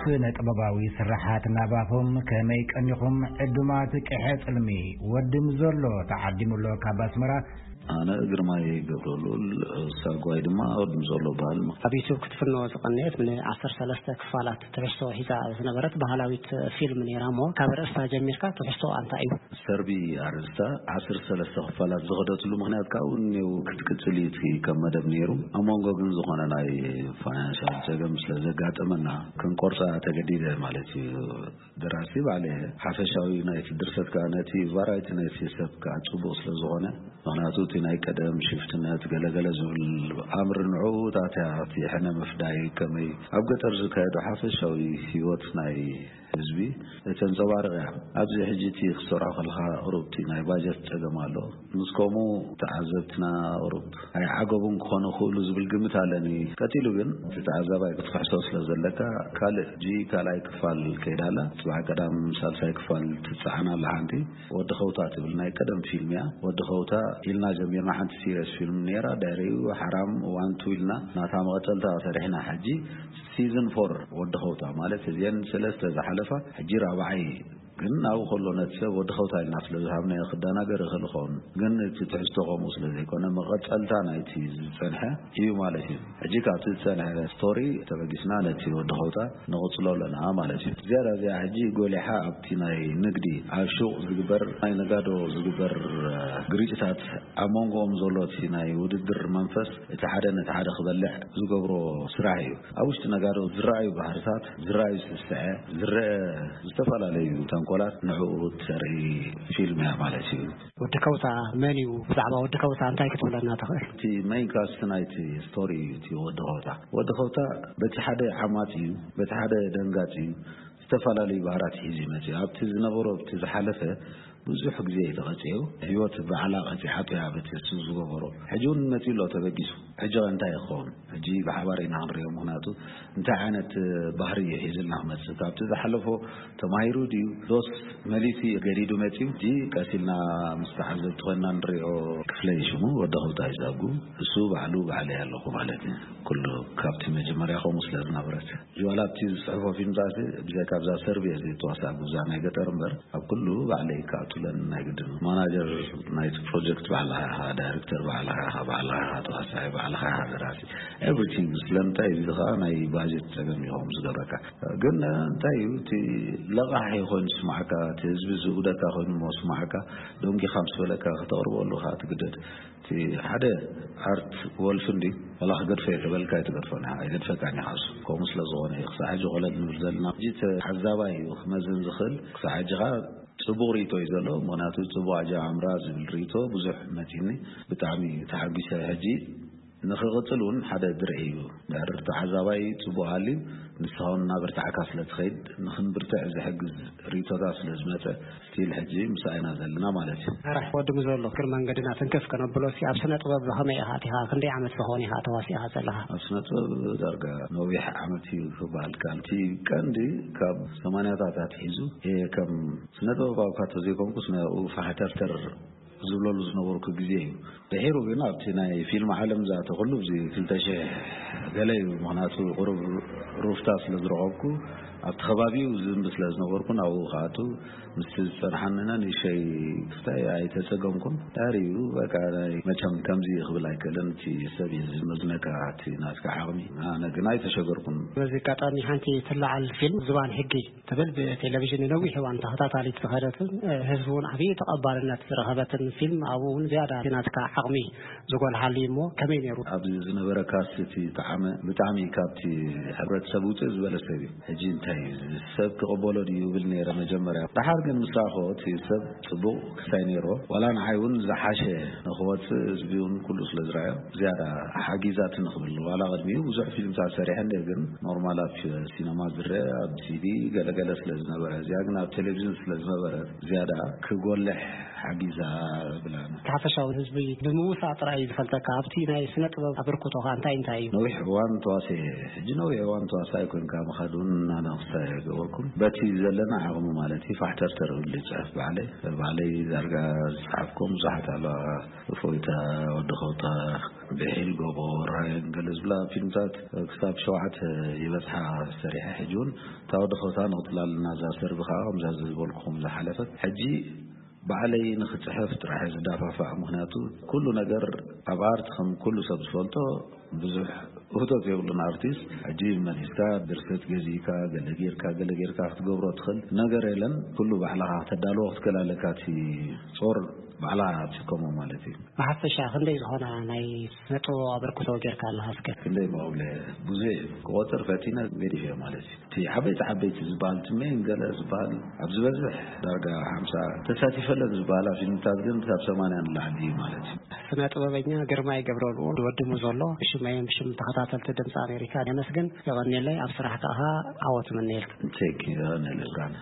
ስነ ጥበባዊ ስራሓት ናባኹም ከመይ ቀኒኹም ዕዱማት ቅሐ ጽልሚ? ወዲ ምዞሎ ተዓዲሙሎ ካብ ኣስመራ። ኣነ ግርማይ ገብረሉል፣ ሳጓይ ድማ ወዲ ምዞሎ በሃል። ኣብ ዩቱብ ክትፍኖ ዝቐነየት ን ዓሰርተ ሰለስተ ክፋላት ትሕዝቶ ሒዛ ዝነበረት ባህላዊት ፊልም ነይራ እሞ፣ ካብ ርእስታ ጀሚርካ ትሕዝቶ ኣንታይ እዩ? ሰርቢ ኣርእስታ ዓሰርተ ሰለስተ ክፋላት ዝኸደትሉ ምኽንያት ካብኡ እኔው ክትቅጽል እዩ እቲ ከም መደብ ነይሩ። ኣብ መንጎ ግን ዝኾነ ናይ ፋይናንሻል ጸገም ስለ ዘጋጠመና ክንቆርጻ ተገዲደ ማለት እዩ። ደራሲ ባዕለ ሓፈሻዊ ናይቲ ድርሰት ከኣ ነቲ ቫራይቲ ናይቲ ሰብ ከኣ ጽቡቕ ስለ ዝኾነ፣ ምኽንያቱ እቲ ናይ ቀደም ሽፍትነት ገለገለ ዝብል ኣምር ንዕኡ ታትያ እቲ ሕነ ምፍዳይ ከመይ ኣብ ገጠር ዝካየዱ ሓፈሻዊ ህይወት ናይ ህዝቢ እተንጸባርቕ እያ። ኣብዚ ሕጂ እቲ ክሰርዖ ከለኻ ቁሩብ እቲ ናይ ባጀት ጸገም ኣሎ። ምስ ከምኡ ተዓዘብትና ቁሩብ ኣይዓገቡን ክኾኑ ይኽእሉ ዝብል ግምት ኣለኒ። ቀጺሉ ግን እቲ ተዓዛባይ ክትፍሕሶ ስለ ዘለካ ካልእ ሕጂ ካልኣይ ክፋል ከይዳ ኣላ። ጽባሕ ቀዳም ሳልሳይ ክፋል ትጸዓን ኣላ ሓንቲ። ወዲ ኸውታ ትብል ናይ ቀደም ፊልም እያ። ወዲ ኸውታ ኢልና ጀሚርና ሓንቲ ሲሪየስ ፊልም ነይራ። ድሕሪኡ ሓራም ዋን ቱ ኢልና ናታ መቐጸልታ ሰሪሕና። ሕጂ ሲዝን ፎር ወዲ ኸውታ ማለት እዚአን ሰለስተ ዝሓለፋ ሕጂ ራብዓይ ግን ኣብኡ ከሎ ነቲ ሰብ ወዲ ኸውታ ኢልና ስለ ዝሃብናዮ ክደናገር ይኽእል ይኸውን። ግን እቲ ትሕዝቶ ከምኡ ስለ ዘይኮነ መቐጸልታ ናይቲ ዝጸንሐ እዩ ማለት እዩ። ሕጂ ካብቲ ዝጸንሐ ስቶሪ ተበጊስና ነቲ ወዲ ኸውታ ንቕጽሎ ኣለና ማለት እዩ። ዝያዳ እዚኣ ሕጂ ጎሊሓ ኣብቲ ናይ ንግዲ ኣብ ሹቕ ዝግበር ናይ ነጋዶ ዝግበር ግርጭታት ኣብ መንጎኦም ዘሎ እቲ ናይ ውድድር መንፈስ እቲ ሓደ ነቲ ሓደ ክበልዕ ዝገብሮ ስራሕ እዩ። ኣብ ውሽጢ ነጋዶ ዝረኣዩ ባህርታት፣ ዝረኣዩ ስስዐ፣ ዝረአ ዝተፈላለዩ ተንኮላት ንዕኡ እተርኢ ፊልም እያ ማለት እዩ። ወዲ ከውታ መን እዩ? ብዛዕባ ወዲ ከውታ እንታይ ክትብለና ትኽእል? እቲ ሜይን ካስት ናይቲ ስቶሪ እዩ እቲ ወዲ ከውታ። ወዲ ከውታ በቲ ሓደ ዓማጺ እዩ፣ በቲ ሓደ ደንጋጺ እዩ። ዝተፈላለዩ ባህራት ሒዙ ይመጽእ። ኣብቲ ዝነበሮ፣ ኣብቲ ዝሓለፈ ብዙሕ ግዜ እዩ ተቐጺዑ። ህይወት ባዕላ ቀጺዓቶ እያ በቲ እሱ ዝገበሮ። ሕጂ እውን መጺኡ ኣሎ ተበጊሱ። ሕጂ ኸ እንታይ ይኸውን? ሕጂ ብሓባር ኢና ክንሪኦ። ምኽንያቱ እንታይ ዓይነት ባህሪ እዩ ሒዙልና ክመጽእ? ካብቲ ዝሓለፎ ተማሂሩ ድዩ? ዶስ መሊሱ ገዲዱ መጺኡ? ሕጂ ቀስ ኢልና ምስ ተዓዘብቲ ኮይንና ንሪኦ። ክፍለይ ሽሙ ወዲ ኸውታ ይዛጉ። እሱ ባዕሉ ባዕለይ ኣለኹ ማለት እዩ። ኩሉ ካብቲ መጀመርያ ከምኡ ስለ ዝነበረት። ዋላ ኣብቲ ዝጽሕፎ ፊልምታት ብዘይካ ኣብዛ ሰርቪ እየ ዘይተዋሳእኩ፣ እዛ ናይ ገጠር እምበር፣ ኣብ ኩሉ ባዕለይ ክኣቱለን ናይ ግድን። ማናጀር ናይቲ ፕሮጀክት ባዕልኻ ኢኻ፣ ዳይሬክተር ባዕልኻ ኢኻ፣ ባዕልኻ ኢኻ ተዋሳኣይ፣ ባዕልኻ ኢኻ ደራሲ፣ ኤቭሪቲንግ። ስለምንታይ? እዚ ኸኣ ናይ ባጀት ጸገም እዩ ከምኡ ዝገብረካ። ግን እንታይ እዩ እቲ ለቓሒ ኮይኑ ዝስማዓካ፣ እቲ ህዝቢ ዝእውደካ ኮይኑ እሞ ዝስማዓካ፣ ደንጊኻ ምስ በለካ ከተቕርበሉ ኸኣ ትግደድ። እቲ ሓደ ኣርት ወልፍ እንዲ ዋላ ክገድፎ እየ ተበልካ ኣይትገድፎን ኢኻ፣ ኣይገድፈካን ኢኻ። እሱ ከምኡ ስለ ዝኾነ እዩ ክሳዕ ሕጂ ኮለል ንብል ዘለና። ሕጂ ተዓዛባይ እዩ ክመዝን ዝኽእል። ክሳዕ ሕጂ ኸኣ ጽቡቕ ርእይቶ እዩ ዘሎ። ምኽንያቱ ጽቡቕ ኣጀማምራ ዝብል ርእይቶ ብዙሕ መጺኒ። ብጣዕሚ ተሓጒሰ። ሕጂ ንኽቕጽል እውን ሓደ ድርዒ እዩ። ድሕሪ ተዓዛባይ ጽቡቕ ሃልዩ ንስኻ እውን እናበርታዕካ ስለ ትኸይድ ንኽንብርትዕ ዝሕግዝ ርእይቶታት ስለ ዝመጸ ስቲል ሕጂ ምሳእ ኢና ዘለና ማለት እዩ። መራሕ ወዲ ምዘሎ እግሪ መንገድና ትንክፍ ከነብሎ እስኪ ኣብ ስነ ጥበብ ብኸመይ ኢኻ ኣቲኻ? ክንደይ ዓመት ብኸውን ኢኻ ተዋሲእኻ ዘለኻ? ኣብ ስነ ጥበብ ዳርጋ ነዊሕ ዓመት እዩ ክበሃል ይከኣል። እቲ ቀንዲ ካብ ሰማንያታት ኣትሒዙ እየ ከም ስነ ጥበባዊ እኳ ተዘይኮንኩስ ናብኡ ፋሕተርተር ዝብለሉ ዝነበርኩ ግዜ እዩ። ድሒሩ ግን ኣብቲ ናይ ፊልም ዓለም ዝኣተኹሉ እዚ ክልተ ሽሕ ገለ እዩ። ምኽንያቱ ቁሩብ ሩፍታ ስለ ዝረኸብኩ ኣብቲ ከባቢኡ ዝንቢ ስለ ዝነበርኩ ናብኡ ክኣቱ ምስቲ ዝጸንሓኒ ንእሽተይ ክስታይ ኣይተጸገምኩን። ድሕሪኡ በቃ ናይ መቸም ከምዚ ክብል ኣይክእልን፣ እቲ ሰብ እዩ ዝመዝነካ እቲ ናትካ ዓቕሚ። ኣነ ግን ኣይተሸገርኩን። በዚ ኣጋጣሚ ሓንቲ ትለዓል ፊልም ዝባን ሕጊ ትብል ብቴሌቪዥን ንነዊሕ እዋን ተኸታታሊት ዝኸደትን፣ እ፣ ህዝቢ እውን ዓብዪ ተቐባልነት ዝረኸበትን ፊልም፣ ኣብኡ እውን ዝያዳ ናትካ ዓቕሚ ዝጎልሓሉ እዩ እሞ ከመይ ነይሩ? ኣብዚ ዝነበረ ካስት እቲ ጣዕመ ብጣዕሚ ካብቲ ሕብረተሰብ ውፅእ ዝበለ ሰብ እዩ። ሕጂ እንታይ እዩ፣ እዚ ሰብ ክቕበሎ ድዩ ይብል ነይረ መጀመርያ። ደሓር ግን ምስ ረኣኽዎ እቲ ሰብ ጽቡቕ ክስታይ ነይርዎ። ዋላ ንዓይ እውን ዝሓሸ ንኽወጽእ ህዝቢ እውን ኩሉ ስለ ዝረኣዮ ዝያዳ ሓጊዛትኒ ክብል። ዋላ ቅድሚኡ ብዙሕ ፊልምታት ሰሪሐ እንድየ፣ ግን ኖርማል ኣብ ሲነማ ዝረአ ኣብ ሲዲ ገለገለ ስለ ዝነበረ፣ እዚኣ ግን ኣብ ቴሌቪዥን ስለ ዝነበረት ዝያዳ ክጎልሕ ሓጊዛ ብላና። እቲ ሓፈሻዊ ህዝቢ ብምውሳእ ጥራይ እዩ ዝፈልጠካ። ኣብቲ ናይ ስነ ጥበብ ኣበርክቶኻ እንታይ እንታይ እዩ? ነዊሕ እዋን ተዋስየ። ሕጂ ነዊሕ እዋን ተዋሳኣይ ኮንካ ምኻድ እውን ኣነ ሳይ ገበርኩም በቲ ዘለና ዓቕሚ ማለት እዩ። ፋሕተርተር እብል ይፅሕፍ ባዕለይ። ባዕለይ ዳርጋ ዝፀሓፍኩም ብዙሓት ኣለዋ። እፎይታ፣ ወዲ ከውታ፣ ብሒል ጎቦ፣ ራየን ገለ ዝብላ ፊልምታት ክሳብ ሸውዓተ ይበፅሓ ሰሪሐ። ሕጂ እውን እታ ወዲ ከውታ ንቕፅላ ኣለና። እዛ ሰርቢ ከዓ ከምዛ ዝበልኩም ዝሓለፈት ሕጂ ባዕለይ ንኽፅሕፍ ጥራሕ ዝዳፋፋዕ። ምኽንያቱ ኩሉ ነገር ኣብ ኣርት ከም ኩሉ ሰብ ዝፈልጦ ብዙሕ ውህደት የብሉን። ኣርቲስት ሕጂ መሊስካ ድርሰት ገዚእካ ገለ ጌርካ ገለ ጌርካ ክትገብሮ ትኽእል ነገር የለን። ኩሉ ባዕልኻ ተዳልዎ ክትክእል ኣለካ። እቲ ጾር ባዕላ ትሽከሞ ማለት እዩ። ብሓፈሻ ክንደይ ዝኾና ናይ ስነ ጥበብ ኣበርክቶ ጌርካ ኣለኻ እስከ? ክንደይ መብለ ብዙሕ ክቆፅር ፈቲነ ገዲፈ ማለት እዩ። እቲ ዓበይቲ ዓበይቲ ዝበሃል እቲ ሜን ገለ ዝበሃል ኣብ ዝበዝሕ ዳርጋ ሓምሳ ተሳቲፈለን ዝበሃላ ፊልምታት ግን ክሳብ ሰማንያ ንላዕሊ እዩ ማለት እዩ። ስነ ጥበበኛ ግርማይ ገብረልኡል ወዲ ሙዞሎ፣ ብሽመይን ብሽም ተኸታተልቲ ድምፂ ኣሜሪካ የመስግን። የቐንየለይ። ኣብ ስራሕ ከኣ ዓወት እምነየልካ። ቴክ የቐንየለይ ብርሃነ።